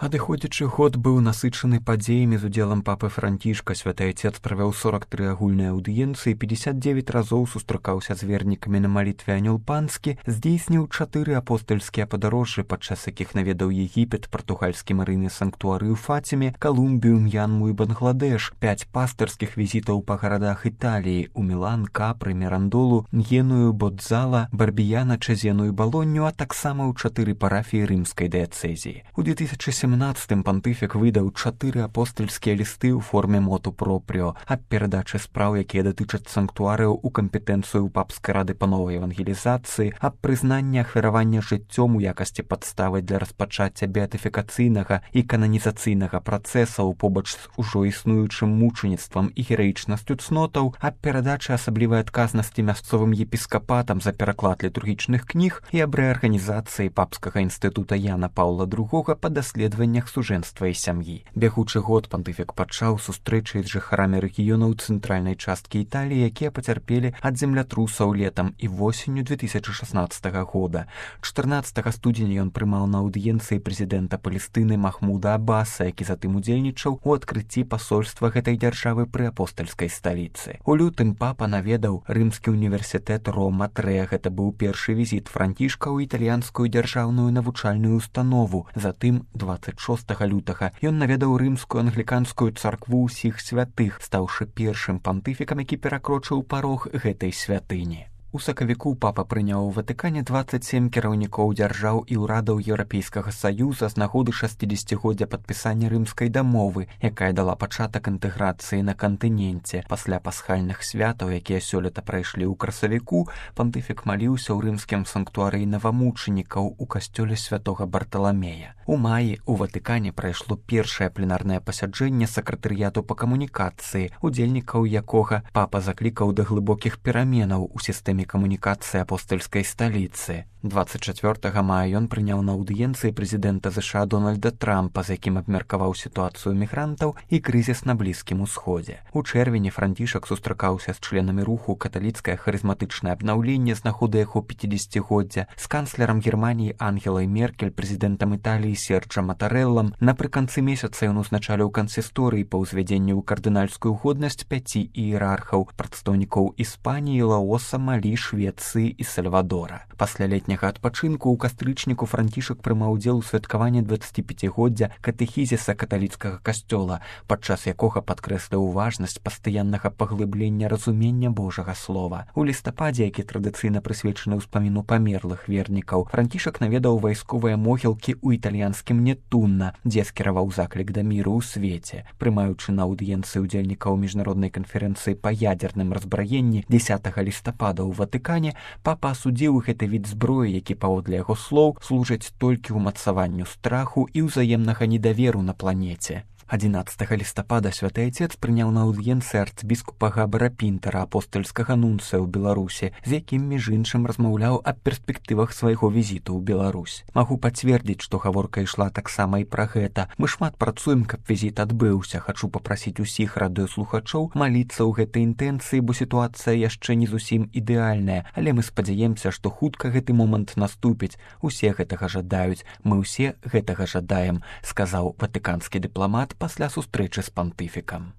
Адыходзячы год быў насычаны падзеямі з удзелам папы Францішка. Святы Отец правёў 43 агульныя аўдыенцыі, 59 разоў сустракаўся з вернікамі на малітве Анёл Панскі, здзейсніў 4 апостальскія падарожжы, падчас якіх наведаў Егіпет, партугальскі марыйны санктуары ў Фаціме, Калумбію, М'янму і Бангладеш, 5 пастырскіх візітаў па гарадах Італіі у Мілан, Капры, Мірандолу, Н'еную, Бодзала, Барбіяна, Чезену і Балонню, а таксама ў 4 парафіі рымскай дыяцэзіі. У 2017 пантыфік выдаў 4 апостальскія лісты ў форме моту пропріо аб перадачы спраў, якія датычаць санктуарыяў у кампетэнцыю папскай рады па новай евангелізацыі, аб прызнанні ахвяравання жыццём у якасці падставы для распачацця беатыфікацыйнага і кананізацыйнага працэсаў побач з ужо існуючым мучаніцтвам і гераічнасцю цнотаў, аб перадачы асаблівай адказнасці мясцовым епіскапатам за пераклад літургічных кніг і аб рэарганізацыі папскага інстытута Яна Паўла II па даследаваннях сужэнства і сям'і. Бягучы год пантыфік пачаў сустрэчай з жыхарамі рэгіёнаў цэнтральнай часткі Італіі, якія пацярпелі ад землятрусаў летам і восенню 2016 года. 14 студзеня ён прымаў на аўдыенцыі прэзідэнта Палестыны Махмуда Аббаса, які затым удзельнічаў у адкрыцці пасольства гэтай дзяржавы пры апостальскай сталіцы. У лютым папа наведаў рымскі універсітэт Рома-3. Гэта быў першы візіт Францішка ў італьянскую дзяржаўную навучальную установу. Затым 26 лютага ён наведаў рымскую англіканскую царкву ўсіх святых, стаўшы першым пантыфікам, які перакрочыў парог гэтай святыні. У сакавіку папа прыняў у Ватыкане 27 кіраўнікоў дзяржаў і ўрадаў Еўрапейскага саюза з нагоды 60-годдзя падпісання рымскай дамовы, якая дала пачатак інтэграцыі на кантыненце. Пасля пасхальных святаў, якія сёлета прайшлі ў красавіку, пантыфік маліўся ў рымскім санктуарыі навамучанікаў у касцёле святога Барталамея. У маі ў Ватыкане прайшло першае пленарнае пасяджэнне сакратарыяту па камунікацыі, удзельнікаў якога папа заклікаў да глыбокіх пераменаў у сістэме камунікацыі апостальскай сталіцы. 24 мая ён прыняў на аўдыенцыі прэзідэнта ЗША Дональда Трампа, з якім абмеркаваў сітуацыю мігрантаў і крызіс на Блізкім усходзе. У чэрвені Францішак сустракаўся з членамі руху «Каталіцкае харызматычнае абнаўленне» з нагоды яго 50-годдзя, з канцлерам Германіі Ангелай Меркель, прэзідэнтам Італіі Серджа Матарэллам. Напрыканцы месяца ён узначаліў кансісторыі па ўзвядзенню ў кардынальскую годнасць 5 іерархаў, прадстаўнікоў Іспаніі, Лаоса, Малі, Швецыі і Сальвадора. Пасля летняга адпачынку ў кастрычніку Францішак прымаў удзел у святкаванні 25-годдзя катэхізіса каталіцкага касцёла, падчас якога падкрэсліў важнасць пастаяннага паглыблення разумення Божага слова. У лістападзе, які традыцыйна прысвечаны ўспаміну памерлых вернікаў, Францішак наведаў вайсковыя могілкі ў італьянскім Нетунна, дзе скіраваў заклік да міру ў свеце. Прымаючы на аўдыенцыі удзельнікаў міжнароднай канферэнцыі па ядзерным разбраенні 10 лістапада ў Ватыкане, папа асудзіў гэты від зброі, які, паводле яго слоў, служаць толькі ўмацаванню страху і ўзаемнага недаверу на планеце. 11 лістапада святы Отец прыняў на аўдыенцыі арцбіскупа Габара Пінтера, апостальскага нунцыя ў Беларусі, з якім, між іншым, размаўляў аб перспектывах свайго візіту ў Беларусь. Магу пацвердзіць, што гаворка ішла таксама і пра гэта. Мы шмат працуем, каб візіт адбыўся. Хачу папрасіць усіх радыёслухачоў маліцца ў гэтай інтэнцыі, бо сітуацыя яшчэ не зусім ідэальная, але мы спадзяемся, што хутка гэты момант наступіць. Усе гэтага жадаюць, мы ўсе гэтага жадаем, сказаў ватыканскі дыпламат пасля сустрэчы з пантыфікам.